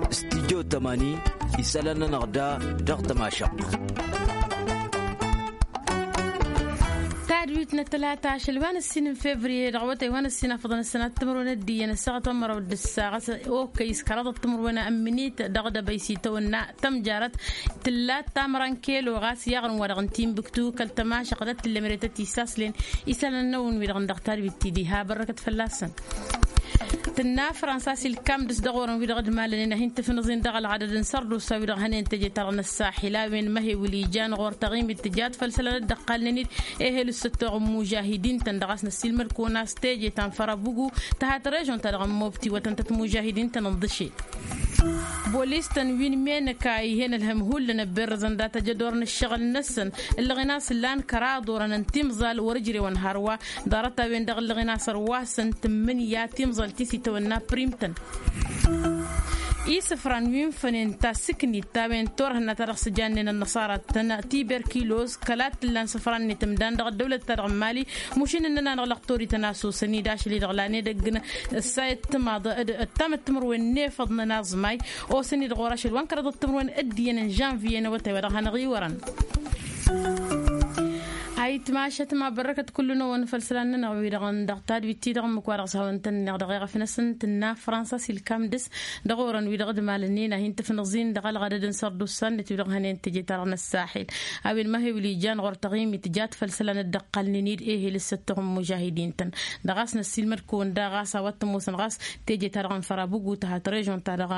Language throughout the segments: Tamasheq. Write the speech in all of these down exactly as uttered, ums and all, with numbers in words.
Stidyo tămani isălan-nănăɣ da dăɣ-tămašăɣt. Tadwit n-ătlata ašăl wa n-ăssin n-fevriye dăɣ-awătay wa n-ăssin afăḍăn ăssanat timǝrwen ăddiyyăn ăssaɣăt wa n-măraw d-ǝssaɣăt okăy s-kăraḍăt timǝrwen ămminit dăɣ-dăbăy s-itawănna tămjarăt tǝllat tamăra n-kelo ɣas i-aɣrǝm wa dăɣ-n timbuktu kăl-tămašăɣt ad-t-tǝllem ere tăt-issaslen isălan-năwăn wi-dăɣ n-dăɣ tadwit ti diha bărrăkăt fălla-săn. Tǝnna fransa s-ilkam dăɣ-s dăɣ-orăn wi-dăɣ d-malănen ad-hin-tǝfnǝẓin dăɣ-ălɣadăd n-sărdusa wi-dăɣ hănen teje-ta-dăɣ n-ăssaxil a-wen măhewǝl ijan ɣur-taɣimit tǝjat făll-isălan dd-ăqqalnen-dd ehel s-ăttoɣ n-imužahidin-tăn dăɣ-a-s năssiilmăd-kăwăn a-s teje ta n-fărabugu tăhat režon-ta-dăɣ n-mobti wătăn-tăt imužahidin-tăn n-ḍǝšel. Bolis-tăn wi n-menăka ih'-en ălhăm hullan ăbberrăzăn data jădor n-ǝššăɣǝl-năsăn ǝllăɣen a-s lan kăraḍ orăn n-timẓal wăr-ǝjrewăn hărwa. Ḍarăt-a-wen-dăɣ ǝllăɣen a-s ărwasăn tǝmmǝnǝya timẓal ti s-itawănna prim-tăn. Isǝfran wi n-fănen tasǝknit-ta-wen turhǝnna ta dăɣ-s ǝjannen ănnăṣara-tăn tiberkiloz kăla t-ǝllan isǝfran-net ǝmdan dăɣ-ăddăwlăt-ta-dăɣ n-mali. Mušin ǝnnăn-anăɣ lăqtor-ităn a-s osăn-dd ašăl-i-dăɣ lan edăgg n-ǝssayăt timaḍ d-ǝttam d-timǝrwen n-efăḍ n-ănaẓmay. Osăn-dd ɣur-ašăl wa n-kăraḍăt timǝrwen d-iyyăn n-žănviye n-awătay wa dăɣ-hanăɣ-i wărăn. Ayǝtmašăt ma bărrăkăt kullu-năwăn făll-isălan-nănăɣ wi-dăɣ n-dăɣ tadwit-ti-dăɣ ǝmmǝk wa dăɣ-s hawăn-tăn-ǝnneɣ dăɣ-eɣăf-năsăn tǝnna fransa s-ilkam dăɣ-s dăɣ-orăn wi-dăɣ d-malănnen a hin-tǝfnǝẓin dăɣ-ălɣadăd n-sărdusa-net wi-dăɣ hănen teje-ta-dăɣ n-ăssaxil. A-wen măhewǝl ijan ɣur-taɣimit tǝjat făll-isălan dd-ăqqalnen-dd ehel s-ăttoɣ n-imužahidin-tăn. Dăɣ-a-s năssiilmăd-kăwăn daɣ ɣas a-wa t-ămoosăn ɣas teje-ta-dăɣ n-fărabugu tăhat režon-ta-dăɣ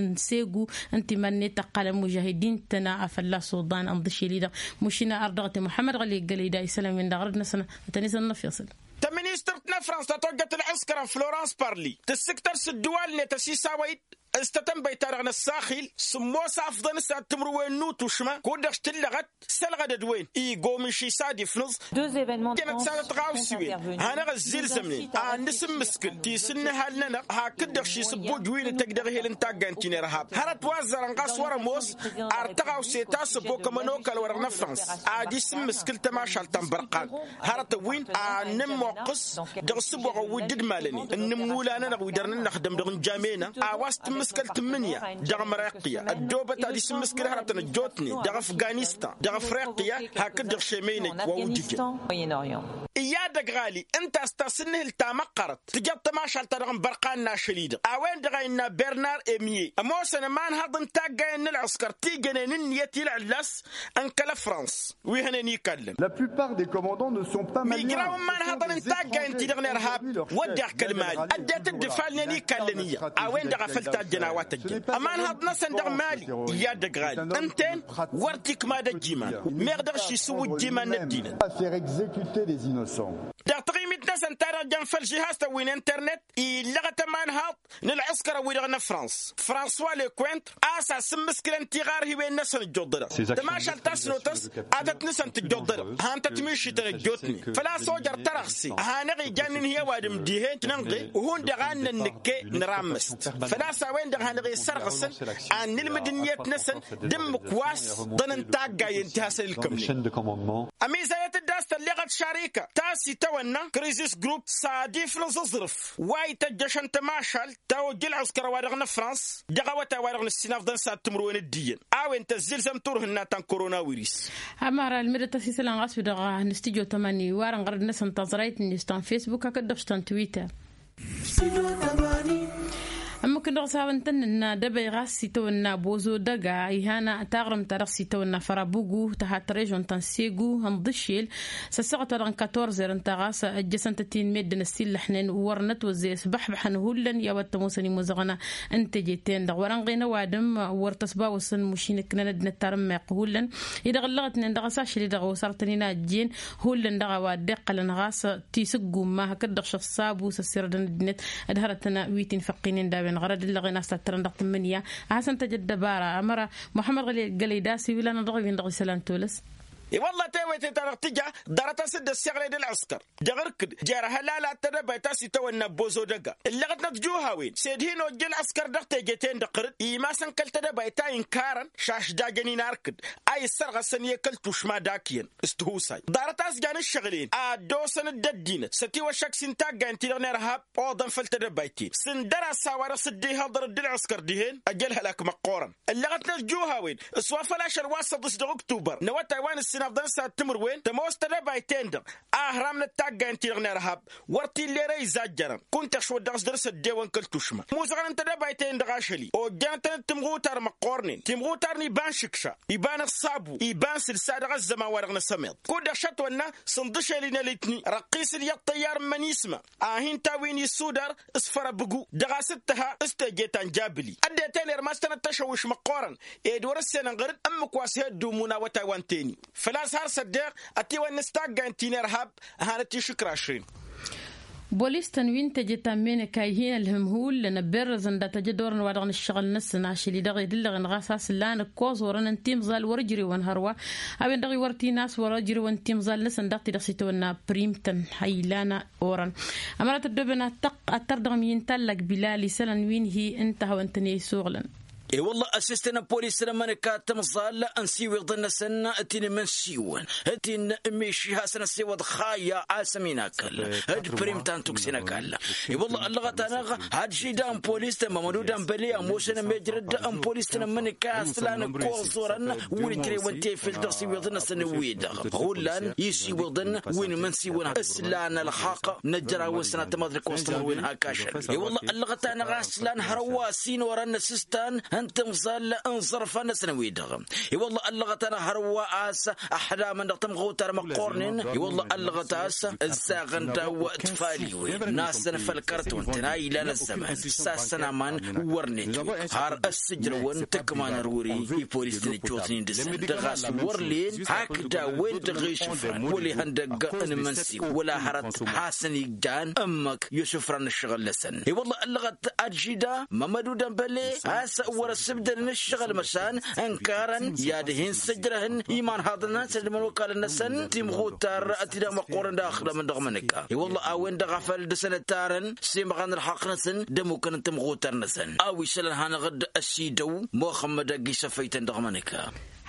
n-segu ǝnta iman-net tăqqalăn imužahidin-tăn a fălla-s uḍan ǝnḍǝšel-i-dăɣ. Mušina ărdăɣăt i-muḥămmăd ɣăli gălăy da isălan-win-dăɣ ɣărăd-năsăn. Ătăn-isănnăfeẓ. Tăministărt n-afrans ta tojjăt ălɣǝskăr n-florans parli tǝssǝktăr s-ǝddǝwal-net ăsisawăy-dd s-tătănbăyt-ta-dăɣ n-ăssaxil. Sǝmmos afḍăn s-ad-timǝrwen n-utušma kud-dăɣ s-tǝllăɣăt s-ălɣădăd-wen igomiš-i s-ad-ifnǝẓ. Jănăt s-ad-ătɣawsiwen hanăɣ-ăzzilzămnen ad-nǝsǝmmǝskǝl tisǝnnǝhal-nănăɣ hakd-dăɣ šisǝbbuj wi n-tăj dăɣ-ehel n-taggayăn ti n-irhab hărăt wa ăzzărăn ɣas wăr-ămoos. Ar tăɣawse ta s-ăbokăm ănokal-wa-dăɣ n-afrans ad-isǝmmǝskǝl tămašalt ta n-bărqan. Hărătăn wi ad-nǝmmoqqǝs dăɣ-isǝboɣăn wi dd-malănen n-inǝmmula-nănăɣ wi dăr-nǝnnăxdăm dăɣ-injamena a-wa s-tǝmmǝskăl tǝmmǝnǝya dăɣ-amreqya ăddoobăt ad-isǝmmǝskǝl hărătăn ăjjootnen dăɣ-afganistan dăɣ-afreqya hakd-dăɣ šemeynăj wa ujǝjăn. I-ad-ăgg ɣali ǝnta a-s tasǝnnǝhǝl ta măqqărăt tǝjăḍ tămašalt-ta-dăɣ n-bărqan n-ašăl-i-dăɣ a-wen-dăɣ a innă bernar emye ămoosăn ămanhăḍ n-taggayen n-ălɣǝskăr ti jănen ǝnniyăt i-ǝlɣǝllas n-kăl-ăfrans wi hănen ikallăn. Mijraw n-imanhăḍăn n-taggayen-ti-dăɣ n-irhab wădden kăl-mali ăddinăt dd-ifalnen ikallăn iyyăḍ a-wen-dăɣ a făl tajjăn a-wa tăjjăn ămanhăḍ-năsăn dăɣ-mali. I-ad-ăgg ɣali ǝnta-en wăr t-ikmad ăjjiman meɣ dăɣ-ši isǝwwǝjj iman n-ăddinăt. Dăɣ-taɣimit-năsăn ta dăɣ-jăn făll-žihaz-tăn wi n-internet illăɣăt ămanhăḍ n-ălɣǝskărăn-wi-dăɣ n-afrans françois lecointre a-s asǝmmǝskǝlăn tiɣarhiwen-năsăn ǝjjuḍ-dăɣ. Tămašalt ta s-notăs ad-tăt-nǝsăn tǝjjuḍ-dăɣ. Han-tăt-mišităn ăjjootnen făl-a-s ojăr tărăɣse a hanăɣ-ijan n-inhǝy ăwadǝm dihen-t nǝnɣe. Hundăɣ a n-nănnǝkke nărammăst făl-a-s a-wen-dăɣ hanăɣ-isărɣǝsăn ad-nǝlmǝd ǝnniyăt-năsăn d-ǝmmǝk wa s-ḍăn n-taggayen ti hasăn-ǝlkămnen. Ămizayăt-dd a-s tălleɣăt šarika ta s-itawănna krizis grup s-ad-iflǝẓ aẓrǝf wa ităjjăšăn tămašalt ta ojj ǝlɣǝskăr a-wa-dăɣ n-afrans dăɣ-awătay wa-dăɣ n-ǝssinafḍăn s-ad-timǝrwen d-iyyăn a-wen tăzzilzăm turhǝnna ta n-koronawiris. Ămăra ălmǝdăt-as isălan ɣas wi-dăɣ n-studyo tămani warăn ɣărăd-năsăn taẓrayt-net ta n-fesbuk hakd-dăɣ s-ta n-twitter. Ămmǝk-dăɣ s-hawăn-tăn-nǝnna dăbăy ɣas s-itawănna bozo dăga ihan taɣrǝmt-ta-dăɣ s-itawănna fărabugu tăhat režon ta n-segu ănḍǝšel s-ăssaɣăt-wa-dăɣ n-katorzer ǝnta ɣas ăjjăsăn-tăt-in meddǝn ăsillăḥnen wăr nătwăzzey ăsbăḥbăḥăn hullan i-a-wa t-ămoosăn imuzăɣna n-teje-ten-dăɣ wăr-ănɣen ăwadǝm wăr tăsbawăsăn mušin ǝknăn ăddinăt tarǝmmeɣt hullan. I-dăɣ ǝllăɣătnen dăɣ-s ašăl-i-dăɣ osarătăn-in a ăjjeen hullan dăɣ-a-wa dd-iqqălăn ɣas tisǝggumma hakd-dăɣ šăṣṣabu s-ăssirădăn ăddinăt d-hărătăn wi t-infăqqinen d-a-wen ɣărăd ǝllăɣen a-s tattărăn dăɣ-tǝmmǝnǝya a hasăn-tăj ăddăbara ămăra muḥămmăd ɣălăy d-a-s iwǝlanăɣ dăɣ-wi-dăɣ isălan tolăs. I-wălla tewăte-ta-dăɣ tǝja ḍarăt-as-dd ăssiɣlăy d-ălɣǝskăr dăɣ-irkǝd jer-hălala d-tedăbayt a-s itawănna ăbbozo dăga. Ǝllăɣătnăt juhawen s-ed hin-ojja ălɣǝskăr dăɣ-teje-ten-dăɣ ɣǝrǝd imasăn kăl-tedăbayt a inkarăn šašdajăn-in arkǝd a issărɣăsăn i-kăl-tušma d-akyăn. S-tihusay ḍarăt a-s jan ǝššăɣǝl-en a ăddoosăn-dd ăddinăt s-ătiwăššak s-intaggayen-ti-dăɣ n-irhab oḍăn făll-tedăbayt-in s-ǝndăr-as a-wa-dăɣ s-dd-ihăḍăr dd-ălɣǝskăr dihen. Ăj ălhălak măqqoorăn ǝllăɣătnăt juhawen s-wa făl ašăl wa s-săḍis dăɣ-uktubar n-awătay wa n-ǝssinăfḍăn s-ad-timǝrwen tămoos tedăbayt-en-dăɣ. Ahram n-ăttaggayen-ti-dăɣ n-irhab wăr t-illa ere izajjărăn kunta ăšwăt dăɣ-s dăr-s ăddewăn kăl-tušma muẓɣăn n-tedăbayt-en-dăɣ ašăl-i ojjănăt-tăn d-timɣutar măqqoornen timɣutar n-iba n-išǝkša iba n-ăṣṣabu iba n-sǝlsa dăɣ-ăzzăman wa dăɣ-năsămeḍ. Kud-dăɣ šătwănna s-ǝnḍǝšel-in ălitni răqqis-dd i-ăṭṭăyyar n-imănisma a hin-tawǝyăn isudar s-făr abǝgu dăɣ-a-s ǝttăha s-teje ta n-jabǝli ăddinăt-en irmastăn ăttăšăwwǝš măqqoorăn. Ed wăr-ǝssenăn ɣăr-dd ǝmmǝk wa s-he-dd-umun awătay wa n-teni făl-a-s har s-ăddeɣ ătiwănna s-taggayen ti n-irhab. Hanăt-išǝkrašren. Bolis-tăn wi n-teje ta n-meneka ihin ălhǝm hullan ăbberrăzăn data jădorăn wa dăɣ-nǝššăɣǝl-năsăn ašăl-i-dăɣ edǝllăɣăn ɣas a-s ǝllanăk koẓ orăn n-timẓal wăr-ǝjrewăn hărwa. A-wen-dăɣ iwăr tinas wăr-ăjrewăn timẓal-năsăn daɣ-ti-dăɣ s-itawănna prim-tăn. Hăy ilan orăn ămăra tăddoben attăr dăɣ-mi n-tallak bilal isălan wi n-hi ǝnta a hawăn-tăn-e-isuɣlăn. E-wălla ăssistăn n-polis-tăn ămmănăka timẓal n-siwiḍăn-năsăn ti-n-imǝnsiwăn ti-n-miši hasăn-ăssiwăḍ xayya a-s ăminakăl d-prim ta n-tukse n-ăkall. I-wălla ăllăɣăt-anăɣ hadžida n-polis tămmămădu d-anbăle ămoosăn ămejrăd n-polis tănămmănăka s-lan ăkkoẓ orăn wăr-ijrewăn tefel dăɣ-siwiḍăn-năsăn wi-dăɣ hullan isiwiḍăn wi n-imǝnsiwăn s-lan ălxaqq n-ăjrawăn sănatămaḍ d-ăkkoẓ tămăr wi n-hak ašăl. I-wălla ăllăɣăt-anăɣ a-s lan hărwa s-in orăn n-asǝstan n-timẓal n-iẓărfan-năsăn wi-dăɣ. I-wălla ăllăɣăt-anăɣ hărwa a-s ăḥdamăn dăɣ-tamɣutar măqqornen. I-wălla ăllăɣăt a-s ǝzzaɣăn daw-tfaliwen n-asăn făll-kărăt wăn-tăn a ilan ăzzăman s-asăn aman wăr-net har ăssǝjrăwăn tǝkma n-ărwuri. I-polis-tăn ăjjootnen dăɣ-s wăr len hakd a-wen-dăɣ išǝfran wăla ihăndăgg n-imǝnsiw wăla hărăt hasăn-ijjan ǝmmǝk i-osǝfran n-ǝššăɣǝl-năsăn. I-wălla ăllăɣăt adžida mămădu dănbăle a-s wăr-ăssǝbdădăn ǝššăɣǝl măšan ǝnkarăn i-ad-hin-sǝjrăhăn imanhaḍăn-năsăn d-imănokalăn-năsăn timɣutar ti-dăɣ măqqoorăn d-axdamăn dăɣ-mănăka. I-wălla a-wen-dăɣ a făl dăr-săn ăttarăn s-imɣan ălxaqq-năsăn d-ămmukăn n-timɣutar-năsăn a-wa isălan hanăɣ-dd ăsidăw muxămmăd ăgg-isăfăy-tăn dăɣ-mănăka.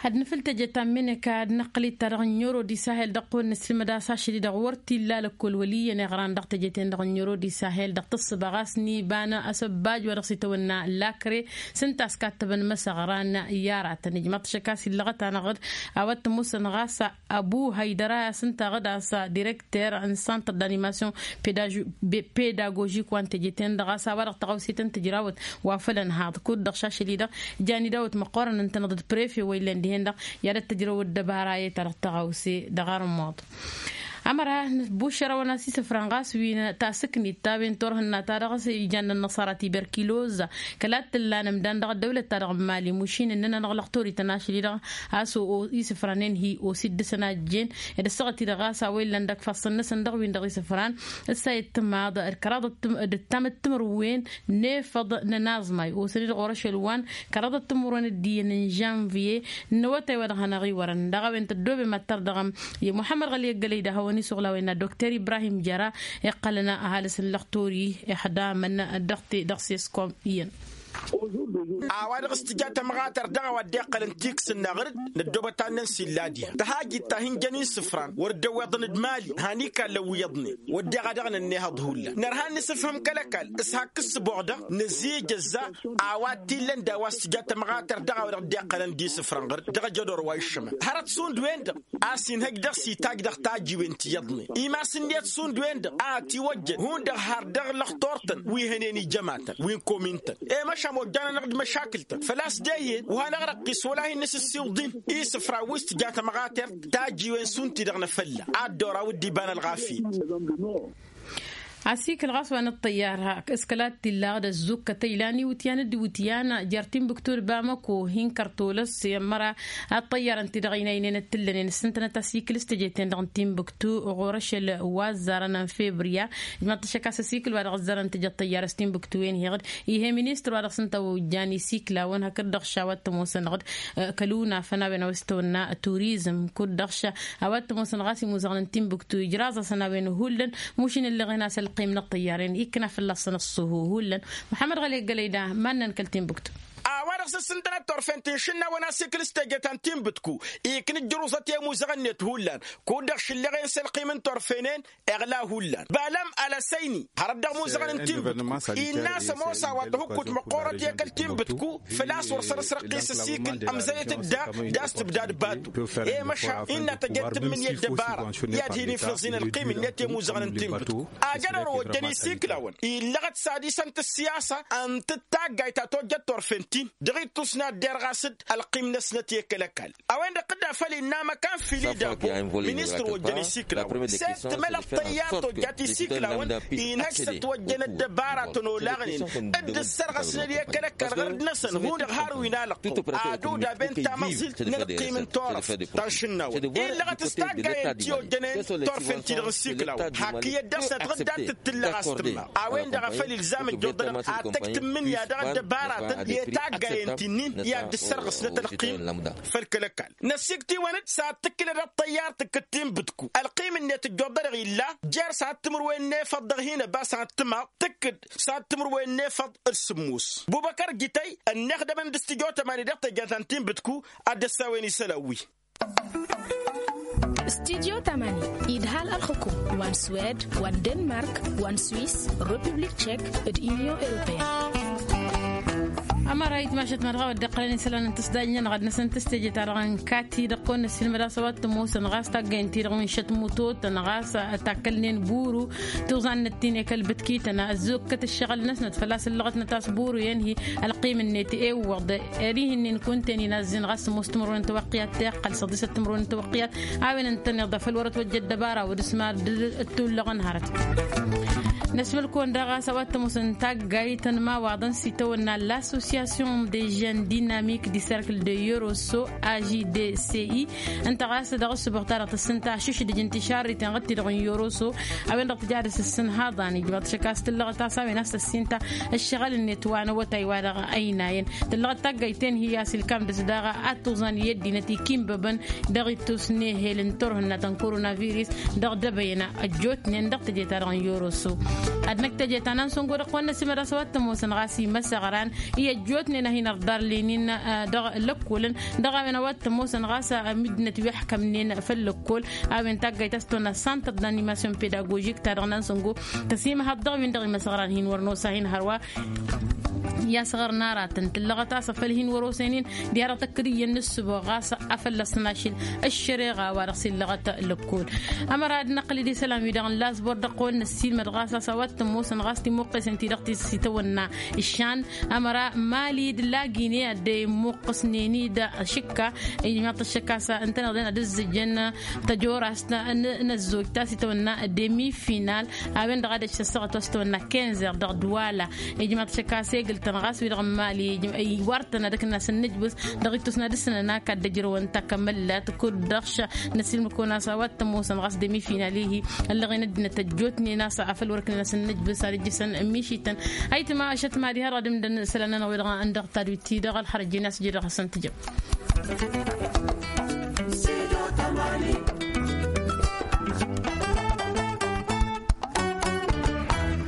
Ad-nǝfǝl teje ta n-meneka ad-năqqǝl-dd ta dăɣ-n oro d-isahel dăɣ-kăwăn-nǝslǝmăd a-s ašăl-i-dăɣ wăr t-illa lăkkol wăl' iyyăn iɣran dăɣ-teje-ten-dăɣ n-oro d-isahel dăɣ-tǝssǝba ɣas n-iba n-asăbbaj wa dăɣ-s itawănna lakre. S-ǝnta a-s kattăbăn măsăɣran i-aratăn ijmăḍ-t šăkk a-s illăɣăt-anăɣ-dd a-wa t-ămoosăn ɣas ăbu hăydăra a-s ǝnta a-s direkter n-santăr d-animasyon pedagožik wa n-teje-ten-dăɣ a-s a-wa-dăɣ tăɣawse tăn-tǝjrawăt wa făl ănhaḍ kud-dăɣ šašăl-i-dăɣ. Jan idawăt măqqoorăn ǝntăneḍ d-prefe wa illan dihen-dăɣ i-ad-ăttăjrăwăt dăbara i-ta-dăɣ tăɣawse dăɣ-armuḍ. Ămăra bušărăwăn a-s isǝfran ɣas wi n-tasǝknit ta-wen turhǝnna-ta-dăɣ s-ijan n-ănnăṣara tiberkiloza kăla t-ǝllan ǝmdan dăɣ-ăddăwlăt-ta-dăɣ n-mali mušin ǝnnăn-anăɣ lăxtor-ităn ašăl-i-dăɣ. A-s o-isǝfranen hi-osi dd-săn a ǝjjen d-ăssaɣăt-i-dăɣ ɣas a-wa illan dăgg-ifassăn-năsăn dăɣ-win-dăɣ isǝfran. Ǝssa i-ăttămaḍ d-kăraḍăt d-ǝttam d-timǝrwen n-efăḍ n-ănaẓmay osăn-i-dăɣ orăšel wa n-kăraḍăt timǝrwen d-iyyăn n-žănviye n-awătay wa dăɣ-hanăɣ-iwărăn dăɣ-a-wen tăddoobem ad-tărdăɣăm. I-muḥămmăd ɣăli ăggălăy d-ahăwăn-isuɣlawen n-ad-dokter ibrahim jăra iqqălăn ăhalǝs n-lăxtur-i ixdamăn dăɣ-te dăɣ-seskom iyyăn. A-wa-dăɣ s-tǝja tămɣatărt dăɣ-a-wa dd-iqqălăn tiksǝnna ɣǝr-dd năddoobăt annăn s-illa diha tăhajit ta hin-jăn isǝfran wăr dd-ăwweḍăn d-mali han ikallăn wi iyyăḍnen. Wădden a dăɣ-nănnihăḍ hullan nărha ad-nǝsǝfhǝm kăl-ăkall s-hak ǝssǝboɣ-dăɣ nǝzijăzza a-wa t-illăn d-a-wa s-tǝja tămɣatărt dăɣ-a-wa dăɣ-dd-iqqălăn d-isǝfran ɣǝr-dd dăɣ-ejădor wa iššămăn hărăt šund-wen-dăɣ a-s inhăj dăɣ-s itaj dăɣ-tajiwen ti iyyăḍnen imasǝnnet šund-wen-dăɣ a ătiwăjjăn hundăɣ har dăɣ-lăxtor-tăn wi hănen ijămatăn wi n-komin-tăn. I-măšan ojjan-anăɣ-dd măšakǝl-tăn făl-a-s dehyen wa hanăɣ-răqqis wăla hin-nǝsǝssiwǝḍ-in isǝfra wi s-tǝja tămɣatert tajiwen šund-ti-dăɣ n-afălla ad-dd-oraw dd-iba n-ălɣafyăt. Asikǝl ɣas wa n-ăṭṭăyyar s-kăla t-illa ad-ăzzukkăt ăylan iwǝtyan d-iwǝtyan jer-timbuktu d-bamăko hin-kărtolăs i-ămmăra ăṭṭăyyarăn-ti-dăɣ ăynaynen d-tǝllănen s-ǝntănăt asikǝl s-teje-ten-dăɣ n-timbuktu ɣur-ašăl wa ăzzarăn n-febriya. Ijmaḍ-t ăššăk a-s asikǝl wa dăɣ-ăzzarăn teje ăṭṭăyyar s-timbuktu-en heɣ-dd. Ih'-e ministăr wa dăɣ-s-ǝnta-ojjan isikǝl-awăn hakd-dăɣ š-a-wa t-ămoosăn-dăɣ-dd kăl-unafăn a-wen a-wa s-tăwănna turizm kud-dăɣ š-a-wa t-ămoosăn ɣas imuzăɣăn n-timbuktu ijraẓ-asăn a-wen hullan. Mušin ǝlleɣen a-s ălqim n-ăṭṭăyyaren ikna fălla-săn ăṣṣuhu hullan. Muḥămmăd ɣăli ăggălăy da mannăn kăl-timbuktu. A-wa dăɣ-s ǝssǝntănăt turfen ti n-išǝnnawăn asikǝl s-teje ta n-timbǝtku iknǝjjăruẓăt i-imuzăɣăn-net hullan kud-dăɣ šǝlleɣen s-ălqim n-turfenen. Iɣla hullan balam alăsăyni hărăt dăɣ-imuzăɣăn n-timbǝtku innă a-s ămoos a-wa tăhukkut măqqoorăt i-kăl timbǝtku. Făl-a-s wăr săr-s răqqis ăsikǝl ămzăyăt dd-a d-a-s tǝbdad batu. I-măšan innă tăjăd tǝmmǝn i-ăddăbara i-ad-hin-ifǝẓ-in ălqim-net i-imuzăɣăn n-timbǝtku. Ajăn ărojjăn isikǝlawăn illăɣăt s-ad-isăn tǝssiyasa ǝnta d-taggayt ta tojjăt turfen-tin dăɣ-ittusna dd-irɣas-dd ălqim-năsnăt i-kăl-ăkall. A-wen-dăɣ tǝdda făll-innă măkan fili d-abo ministăr ojjăn isikǝlawăn s-e-d tǝmălăɣ tăyyar tojjat isikǝlawăn. Inhăj s-ătwăjjăn ăddăbaratăn olaɣnen dd-ǝssărɣăsnăd i-kăl-ăkall ɣărd-năsăn hundăɣ har wi n-alăqq. Ad-odaben tamăẓilt n-ălqim n-turăft ta n-išǝnnawăn illăɣăt s-taggayăn ti ojjănen turfen-ti-dăɣ n-isikǝlawăn hakk iyyăt dăr-s ătɣǝddat tǝllăɣ a-s tǝmma. A-wen-dăɣ a făl ilzam ǝjjuḍănăɣ ad-tăj tǝmmǝnǝya dăɣ-ăddăbaratăn i-taggayăn ti-nin i-ad-dd-ǝssărɣăsnăt ălqim făll-kăl-ăkall. Năsiktǝwăn-dd s-ad-tǝkkǝlăd ăṭṭăyyar tǝkkǝd tinbǝdku ălqim-net ǝjjuḍănăɣ illa jer-s ad-timǝrwen n-efăḍ dăɣ-hin-ăbas ad-tǝmaḍ tǝkkǝd s-ad-timǝrwen n-efăḍ d-sǝmmos. Bubăkăr jităy ănnixdămăn d-studyo tămani dăɣ-teje ta n-tinbǝdku. Ad-dd-ăssawen isălan wi. Studyo tămani idhal ălxǝkum wa n-swed wa n-denmark wa n-swiss, republik tchek d-union europeen. Ămăra itmašăt ma dăɣ-a wăr dd-iqqălăn isălan n-tǝsdajnen ɣad-năsăn tǝsteje-ta-dăɣ n-kati dăɣ-kăwăn-năssilmăd a-s a-wa t-ămoosăn ɣas taggăyăn-ti-dăɣ wi n-išăt mutotăn ɣas takkălnen buru. Tuẓannăt ti n-ekăl bǝtkităn ăzzukkăt ǝššăɣǝl-năsnăt făl-a-s ǝllăɣătnăt a-s buru i-ănhi ălqim-net ewwăḍ. Ed ih'-ǝnnin kunta-en inazzin ɣas ămoos timǝrwen n-tawăqqiyat ta iqqăl săḍisăt timǝrwen n-tawăqqiyat. A-wen ǝntăneḍ a făl wăr-ătwăjja ăddăbara wăr-s mad-dd-ǝttullăɣăn hărăt. Năsmǝl-kăwăn daɣ a-s a-wa t-ămoosăn taggayt n-imawaḍăn s-itawănna l-association des jeunes dynamiques du cercle de yoroso, a j d c i. Ǝnta ɣas dăɣ-ǝssǝboɣ-ta-dăɣ tǝssǝnta ašǝšdǝj n-tišarriten ɣǝd-ti-dăɣ n-yoroso. A-wen-dăɣ tǝja ad-ăssǝsǝnhăḍ anǝj ma tǝššăk a-s tǝllăɣăt a-s a-wen a-s tăssinta ǝššăɣǝl-net wa n-awătay wa dăɣ-ăynayăn. Tǝllăɣăt taggayt-en hi-a-s ilkam dăɣ-s daɣ ad-tuẓan i-ăddinăt ikimbăbăn dăɣ-ittus n-ehel n-turhǝnna ta n-koronavirus dăɣ-dăbăyăn ăjjootnen dăɣ-teje-ta-dăɣ n-yoroso. Ad-năkk teje ta n-ansăngo dăɣ-kăwăn-năsimăd a-s a-wa t-ămoosăn ɣas imăsăɣran i-ăjjootnen a hin-ărḍarlenen dăɣ-lăkkolăn dăɣ-a-wen a-wa t-ămoosăn ɣas ămidnăt wi ăḥkămnen făll-lăkkol. A-wen taggayt a-s tăwănna santăr d-animasyon pedagožik ta dăɣ-nansăngo tăsimăhăḍ dăɣ-win-dăɣ imăsăɣran hin-wăr nosa hin-hărwa. I-asăɣăr n-aratăn tǝllăɣăt a-s afăl hin-wăr-osen-in diha-dăɣ tăkkăd iyyăn n-ǝssǝboɣ ɣas a fălla-săn ašil ăššăreɣa wa dăɣ-s illăɣăt lăkkol. Ămăra ad-năqqǝl d-isălan-wi-dăɣ n-lasbor dăɣ-kăwăn-năssiilmăd ɣas a-s a-wa t-ămoosăn ɣas timuqqesen-ti-dăɣ ti s-itawănna ǝššan. Ămăra mali d-lagine ad-dd-imuqqǝsnen-dd šǝkka. Ijmaḍ-t ăššăk a-s ǝntăneḍ-en ad-ǝzzǝjăn tăjorast n-ăzzoj ta s-itawănna demi final. A-wen-dăɣ ad-ăj săssăɣăt wa s-tawănna kenzer dăɣ-duwala. Ijmaḍ-t ăššăk a-s egǝl-tăn ɣas wi-dăɣ n-mali iwar-tăn ad-ǝknăn asǝnnǝjbǝs dăɣ-ittus n-ad-ǝssǝnăn ak ad-dd-ăjrăwăn takămăllat kud-dăɣ š-năsilmǝd-kăwăn a-s a-wa t-ămoosăn ɣas demi final-i-hi. Ăllăɣen ăddinăt ăjjootnen a-s afăl wăr-ǝknăn asǝnnǝjbǝs ad-ǝjjǝsăn ămmišităn. Ayǝtma ašăt mad-iha dăɣ-ad-ǝmdăn isălan-nănăɣ wi-dăɣ n-dăɣ tadwit-ti-dăɣ ălxărăt jen a-s ǝjǝdăɣ-asăn tǝjăm.